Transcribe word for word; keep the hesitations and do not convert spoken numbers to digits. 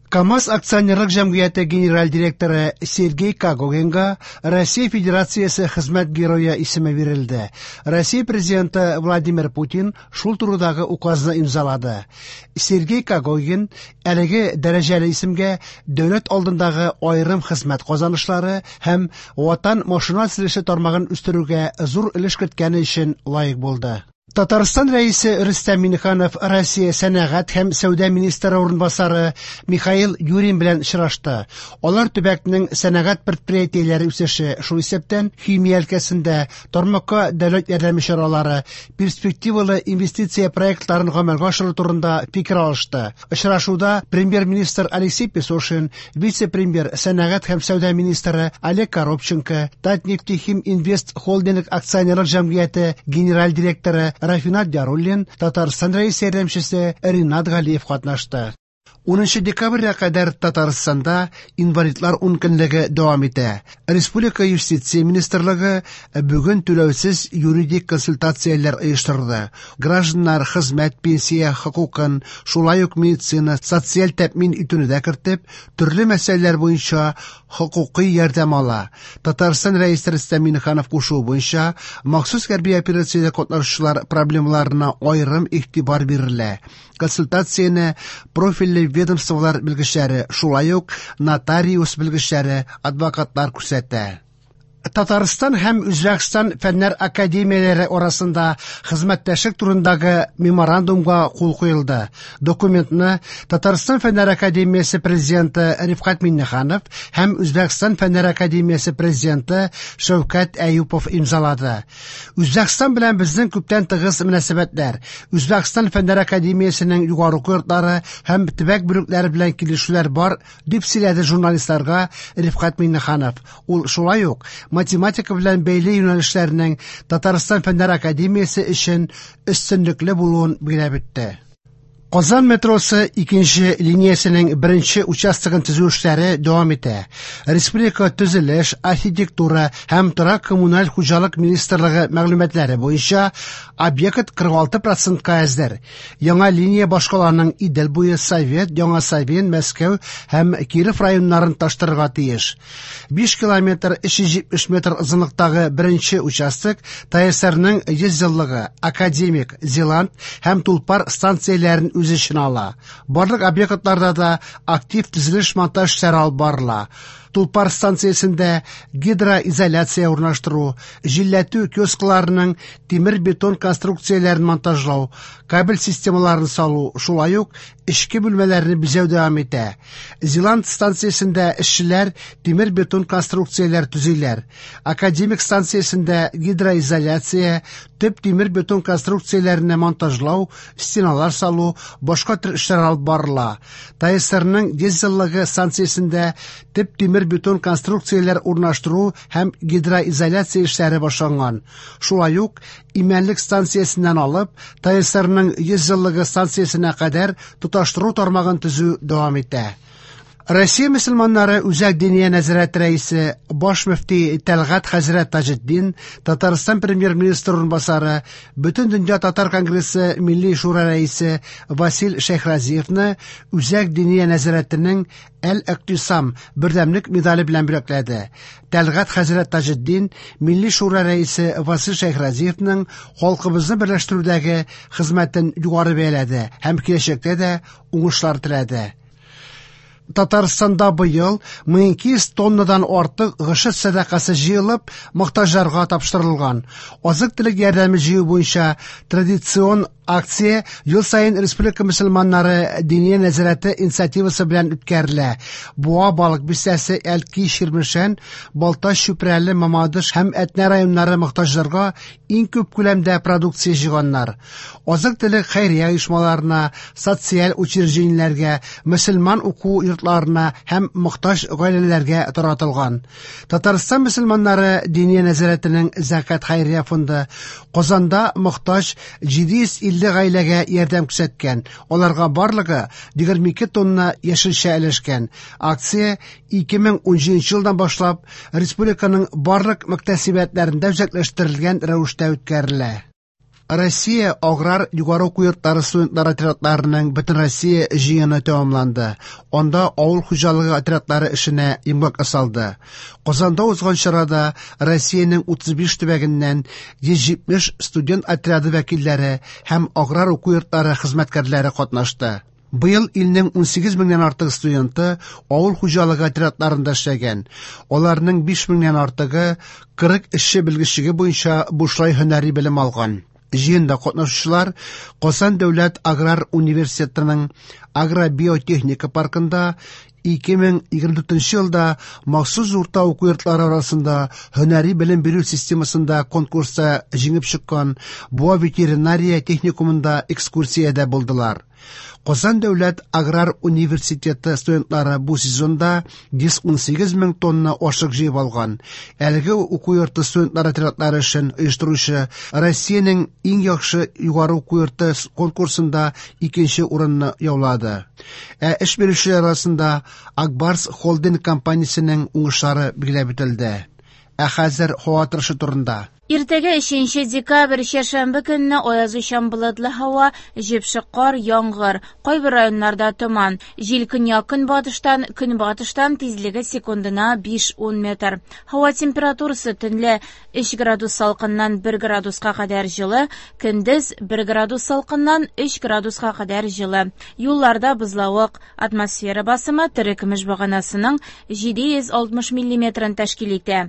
КАМАЗ акционерлык җәмгыяте генераль директоры Сергей Когогинга Россия Федерациясе Хезмәт Герое исеме бирелде. Россия Президенты Владимир Путин шул турыдагы указны имзалады. Сергей Когогин әлеге дәрәҗәле исемгә дәүләт алдындагы аерым хезмәт казанышлары һәм ватан машина төзелеше тармагын үстерүгә зур өлеш керткәне өчен лаек булды. Татарстан Рәисе Рөстәм Миңнеханов Россия сәнәгать һәм сәүдә министры урынбасары Михаил Юрин белән очрашты. Алар төбәкнең сәнәгать предприятиеләре үсеше, шул исәптән химия өлкәсендә тармакка дәүләт ярдәме чаралары, перспективалы инвестиция проектларын гамәлгә ашыру турында фикер алышты. Очрашуда премьер-министр Алексей Песошин, вице-премьер, сәнәгать һәм сәүдә министры Олег Коробченко, Татнефтехим Инвест Холдинг акционерлык җәмгыяте генераль директоры Рафинат Яруллин, Татарстан Рәисе ярдәмчесе Ринат Галиев катнашты. Унынчы декабрьгә кадәр Татарстанда инвалидлар ункөнлеге дәвам итә. Республика Юстиция министрлыгы бүген түләүсез юридик консультацияләр оештырды. Гражданнар хезмәт, пенсия хокукын, шулай ук медицина, социаль тәэмин итүне дә кертеп, төрле мәсьәләләр буенча хокукый ярдәм ала. Татарстан Рәисе Рөстәм Миңнеханов кушуы буенча махсус хәрби операциядә катнашучылар проблемаларына аерым игътибар бирелә. Консультацияне профильле ведомстволар белгечләре, шулай ук нотариус белгечләре, адвокатлар күрсәтә. Татарстан һәм Үзбәкстан фәннәр академияләре арасында хезмәттәшлек турындагы меморандумга кул куелды. Документны Татарстан Фәннәр академиясе президенты Рифкать Миңнеханов һәм Үзбәкстан Фәннәр академиясе президенты Шәүкәт Әюпов имзалады. Үзбәкстан белән безнең күптән тыгыз мөнәсәбәтләр. Үзбәкстан Фәннәр академиясенең югары уку йортлары һәм төбәк бүлекләре белән килешүләр бар, дип сөйләде журналистларга Рифкать Миңнеханов. Ул шулай ук математика белән бәйле юнәлешләрнең Татарстан Фәннәр академиясе өчен өстенлекле булуын билгеләп үтте. Казан метросы икенче линиясенең беренче участогын төзү эшләре дәвам итә. Республика төзелеш, архитектура һәм торак коммуналь хуҗалык министрлыгы мәгълүматлары буенча объект кырык алты процентка әзер. Яңа линия башкаланың Идел буе, Совет, Яңа Савин, Мәскәү һәм Киров районнарын таштырырга тиеш. Биш километр өч йөз җитмеш метр озынлыктагы беренче участок ТАССРның йөз еллыгы, Академик, Зеланд һәм Тулпар станцияләрен үз эченә ала. Барлык объектларда да актив төзелеш монтаж эшләре алып барыла. Тулпар станциясендә гидроизоляция урнаштыру, җилләтү киоскларының тимер-бетон конструкцияләрен монтажлау, кабель системаларын салу, шулай ук эчке бүлмәләрне бизәү дәвам итә. Зеланд станциясендә эшчеләр тимер-бетон конструкцияләр төзиләр. Академик станциясендә гидроизоляция, төп тимер-бетон конструкцияләрне монтажлау, стеналар салу, башка төр эшләр алып барыла. ТАССРның йөз еллыгы станциясендә төп тимер-бетон конструкцияләр урнаштыру һәм гидроизоляция эшләре башланган. Шулай ук Имәнлек станциясеннән алып ТАССРның йөз еллыгы станциясенә кадәр тоташтыру тармагын төзү дәвам итә. Россия мөселманнары Үзәк Диния нәзарәте рәисе, баш мөфти Тәлгать хәзрәт Таҗетдин, Татарстан премьер-министры урынбасары, Бөтен дөнья татар конгрессы Милли шура рәисе Васил Шәйхразиевны Үзәк Диния нәзарәтенең Әл-Иътисам бердәмлек медале белән бүләкләде. Тәлгать хәзрәт Таҗетдин Милли шура рәисе Васил Шәйхразиевның халкыбызны берләштерүдәге хезмәтен югары бәяләде һәм киләчәктә дә уңышлар теләде. Татарстанда быел мең ике йөз тоннадан артык гошер сәдакасы җыелып, мохтаҗларга тапшырылган. Азык-төлек ярдәме җыю буенча традицион акция ел саен Республика мөселманнары Диния нәзарәте инициативасы белән үткәрелә. Буа, Балык бистәсе, Әлки, Чирмешән, Балтач, Чүпрәле, Мамадыш һәм Әтнә районнары мохтаҗларга иң күп күләмдә продукция җыйганнар. Азык-төлек хәйрия оешмаларына, социаль учреждениеләргә, мөселман уку йортларына һәм мохтаҗ гаиләләргә таратылган. Татарстан мөселманнары Диния нәзарәтенең Зәкят хәйрия фонды Казанда мохтаҗ җиде йөз илле гаиләгә ярдәм күрсәткән. Аларга барлыгы егерме ике тонна яшелчә өләшкән. Акция ике мең унҗиденче елдан башлап республиканың барлык мөхтәсибәтләрендә үзәкләштерелгән рәвештә үткәрелә. Россия аграр югары уку йортлары студентлар отрядларының Бөтенроссия җыены тәмамланды. Анда авыл хуҗалыгы отрядлары эшенә йомгак ясалды. Казанда узган чарада Россиянең утыз биш төбәгеннән йөз җитмеш студент отряды вәкилләре һәм аграр уку йортлары хезмәткәрләре катнашты. Быел илнең унсигез меңнән артык студенты авыл хуҗалыгы отрядларында эшләгән. Аларның биш меңнән артыгы кырык эшче белгечлеге буенча бушлай һөнәри белем алган. Җыенда катнашучылар Казан дәүләт аграр университетының агробиотехника паркында ике мең егерме дүртенче елда махсус урта уку йортлары арасында һөнәри белем бирү системасында конкурста җиңеп чыккан Буа ветеринария техникумында экскурсиядә булдылар. Казан дәүләт аграр университеты студентлары бу сезонда йөз унсигез мең тонна ашык җыеп алган. Әлеге уку йорты студентлар отрядлары эшен оештыручы Россиянең иң яхшы югары уку йорты конкурсында икенче урынны яулады. Ә эш бирүчеләр арасында Акбарс холдинг компаниясенең уңышлары билгеләп үтелде. Ә хәзер һава торышы турында. Иртәгә өченче декабрь чәршәмбе көнне аязучан болытлы һава, җепшек кар, яңгыр, кайбер районнарда томан. Җил көньяк-көнбатыштан, көнбатыштан тизлеге секундына биш-ун метр. Һава температурасы төнлә өч градус салкыннан бер градуска кадәр җылы, көндез бер градус салкыннан өч градуска кадәр җылы. Юлларда бозлавык, атмосфера басымы терекөмеш баганасының җиде йөз алтмыш миллиметрын тәшкил итә.